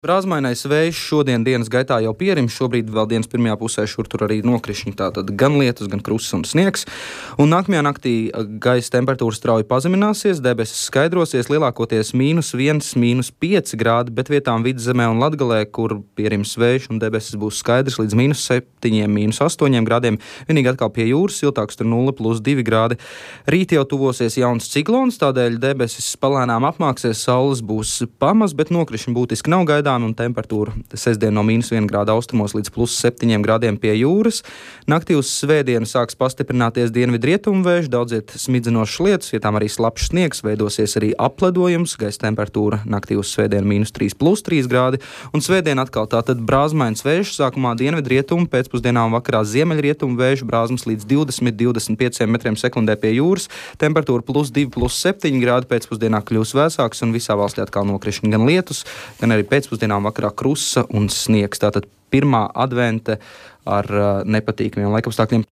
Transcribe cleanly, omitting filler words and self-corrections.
Brāzmainais vējš šodien dienas gaitā jau pierims, šobrīd vēl dienas pirmajā pusē šur tur arī nokrišņi, tātad gan lietus, gan krusts un sniegs. Un nākamajā naktī gaisa temperatūra strauji pazemināsies, debesis skaidrosies, lielākoties -1, -5 grādi, bet vietām Vidzemē un Latgalē, kur pierims vējš un debesis būs skaidrs līdz -7, -8 grādiem. Vienīgi atkal pie jūras siltāks, tur 0+2 grādi. Rīt jau tuvosies jauns ciklons, tādēļ debesis palēnām apmāksies, saules būs pamaz, bet nokrišņi būtiski nav gaidām. Un temperatūra sestdien no -1 grāda austrumos līdz +7 grādiem pie jūras. Naktī uz svētdienu sāks pastiprināties dienvidrietumu vējš, daudziet smidzinošs lietus, vietām arī slapjš sniegs, veidosies arī apledojums, gaisa temperatūra naktī uz svētdienu -3+3 grādi. Un svētdien atkal tātad brāzmains vējš, sākumā dienvidrietumu, pēcpusdienā un vakarā ziemeļrietumu vējš, brāzmas līdz 20–25 metriem sekundē pie jūras, temperatūra +2–7 grādi, pēcpusdienā kļūs vēsāks un visā valstī atkal nokrišņi gan lietus, gan arī pēcpusdienā vakarā krusa un sniegs. Tātad pirmā advente ar nepatīkamiem laikapstākļiem.